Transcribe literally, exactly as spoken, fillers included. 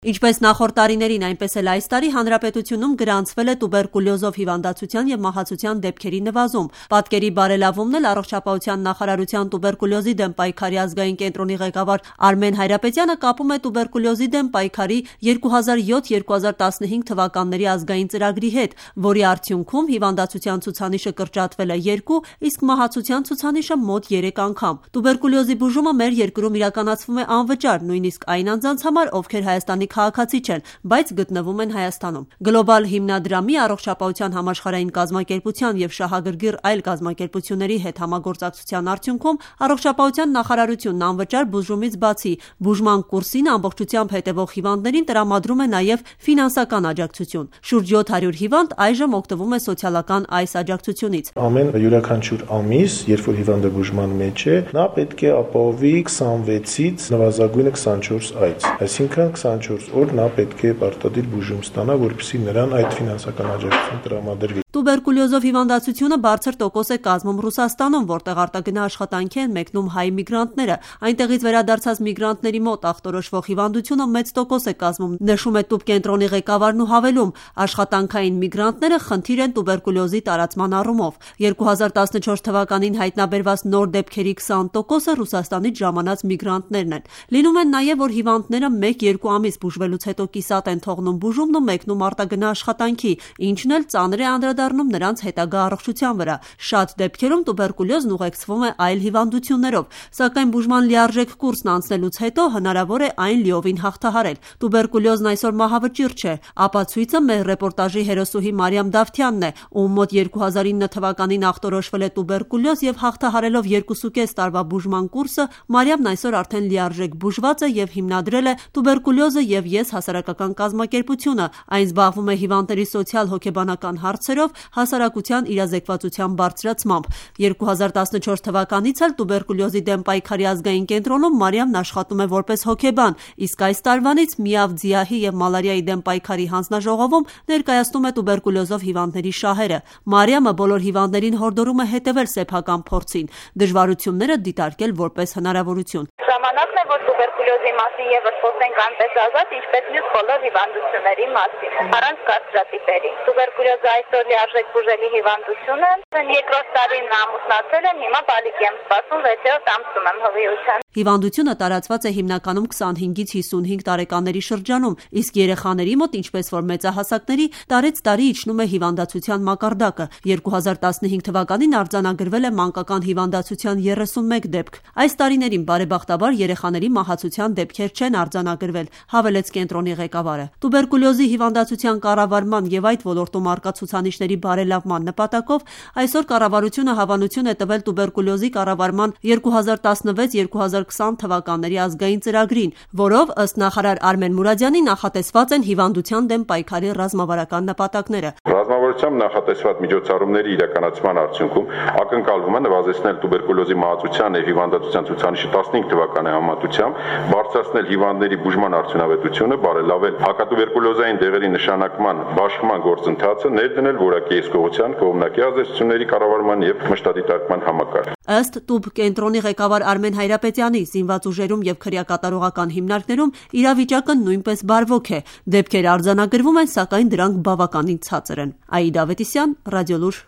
Ինչպես նախորդ տարիներին, այնպես էլ այս տարի հանրապետությունում գրանցվել է տուբերկուլյոզով հիվանդացության և մահացության դեպքերի նվազում։ Պատկերի բարելավումն էլ առողջապահության նախարարության տուբերկուլյոզի դեմ պայքարի ազգային կենտրոնի ղեկավար Արմեն Հայրապետյանը կապում է տուբերկուլյոզի դեմ պայքարի երկու հազար յոթ - երկու հազար տասնհինգ թվականների ազգային ծրագրի հետ, որի արդյունքում հիվանդացության ցուցանիշը կրճատվել է երկու, իսկ մահացության ցուցանիշը մոտ երեք անգամ։ Տուբերկուլյոզի բուժումը մեր երկրում իրականացվում է անվճար, նույնիսկ այն անձանց համար, ովքեր Հայաստանի քաղաքացի չեն, բայց գտնվում են Հայաստանում։ Գլոբալ հիմնադրամի, Առողջապահության համաշխարհային կազմակերպության և շահագրգիռ այլ կազմակերպությունների հետ համագործակցության արդյունքում Առողջապահության նախարարությունն անվճար բուժումից բացի բուժման կուրսին ամբողջությամբ հետևող հիվանդներին տրամադրում է նաև ֆինանսական աջակցություն։ Շուրջ յոթ հարյուր հիվանդ այժմ օգտվում է սոցիալական այս աջակցությունից։ Ամեն յուրաքանչյուր ամիս, երբ որ հիվանդը բուժման մեջ է, նա պետք է ապահովի քսանվեցից նվազագույնը քսանչորս այց, այսինքն քսանչորս օր նա պետք է պարտադիր բուժում ստանա, որպեսզի նրան այդ ֆինանսական աջակցություն տրամադրվի։ Տուբերկուլյոզով հիվանդացությունը բարձր տոկոս է կազմում Ռուսաստանում, որտեղ արտագնա աշխատանքի են մեկնում հայ միգրանտները։ Այնտեղից վերադարձած միգրանտների մոտ ախտորոշվող հիվանդությունը մեծ տոկոս է կազմում, նշում է տուբկենտրոնի ղեկավարն ու հավելում՝ աշխատանքային միգրանտները խնդիր են տուբերկուլյոզի տարածման առումով։ երկու հազար տասնչորս թվականին հայտնաբերված նոր դեպքերի քսան տոկոսը Ռուսաստանից ժամանած միգրանտներն են։ Լինում են նաև, որ հիվանդները մեկ-երկու ամիս բուժվելուց հետո կիսատ են թողնում բուժումն ու մեկնում արտագնա աշխատանքի, ինչն էլ ծանր է անդրադառնում նրանց հետագա առողջության վրա։ Շատ դեպքերում տուբերկուլյոզն ուղեկցվում է այլ հիվանդություններով, սակայն բուժման լիարժեք կուրսն անցնելուց հետո հնարավոր է այն լիովին հաղթահարել։ Տուբերկուլյոզն այսօր մահավճիռ չէ։ Ապացույցը մեր ռեպորտաժի հերոսուհի Մարիամ Դավթյանն է, ում մոտ երկու հազար ինը թվականին ախտորոշվել է տուբերկուլյոզ և հաղթահարելով երկուսուկես տարվա բուժման կուրսը, Մարիամն այսօր արդեն լիարժեք բուժված է և հիմնադրել է տուբերկուլյոզը և ես հասարակական կազմակերպությունը։ Այն զբաղվում է հիվանդների սոցիալ-հոգեբանական հարցերով հասարակության իրազեկվածության բարձրացմամբ։ երկու հազար տասնչորս թվականից էլ տուբերկուլյոզի դեմ պայքարի ազգային կենտրոնում Մարիամն աշխատում է որպես հոգեբան, իսկ այս տարվանից Միավ ՁԻԱՀ-ի և մալարիայի դեմ պայքարի հանձնաժողովում ներկայացնում է տուբերկուլյոզով հիվանդների շահերը։ Մարիամը բոլոր հիվանդներին հորդորում է հետևել սեփական փորձին, դժվարությունները դիտարկել որպես հնարավորություն։ Ժամանակն է, որ տուբերկուլյոզի մասին ևս խոսենք այնպես ազատ, ինչպես մյուս բոլոր հիվանդությունների մասին, առանց կարծրատիպերի։ Տուբերկուլյոզը այսօր լիարժեք բուժելի հիվանդություն է։ Երկրորդ տարին ամուսնացել եմ, հիմա բալիկ եմ սպասում, վեցերորդ ամսում եմ հղիության։ Հիվանդությունը տարածված է հիմնականում քսանհինգից հիսունհինգ տարեկանների շրջանում, իսկ երեխաների մոտ, ինչպես որ մեծահասակների, տարեց տարի իջնում է հիվանդացության մակարդակը։ երկու հազար տասնհինգ թվականին արձանագրվել է մանկական հիվանդացության երեսունմեկ դեպք։ Այս տարիներին բարեբախտաբար երեխաների մահացության դեպքեր չեն արձանագրվել, հավելեց կենտրոնի ղեկավարը։ Տուբերկուլյոզի հիվանդացության կառավարման և այդ ոլորտում առկա ցուցանիշների բարելավման նպատակով այսօր կառավարությունը հավանություն է տվել տուբերկուլյոզի կառավարման երկու հազար տասնվեց - երկու հազար քսան թվականների ազգային ծրագրին, որով ըստ նախարար Արմեն Մուրադյանի նախատեսված են հիվանդության դեմ պայքարի ռազմավարական նպատակները։ Ռազմավարությամբ նախատեսված միջոցառումների իրականացման արդյունքում ակնկալվում է նվազեցնել տուբերկուլյոզի մահացության և հիվանդացության ցուցանիշը տասնհինգ թվականի համեմատությամբ, բարձրացնել հիվանդների բուժման արդյունավետությունը, բարելավել հակատուբերկուլյոզային դեղերի նշանակման բաշխման գործընթացը, ներդնել որակի հսկողության, կողմնակի ազդեցությունների կառավարման և մշտադիտարկման համակարգ։ Ըստ տուբկենտրոնի ղեկավար Արմեն Հայրապետյանի, զինված ուժերում և քրեակատարողական հիմնարկներում իրավիճակը նույնպես բարվոք է։ Դեպքեր արձանագրվում են, սակայն դրանք բավականին ցածր են։ Աիդա Ավետիսյան, Ռադիոլուր։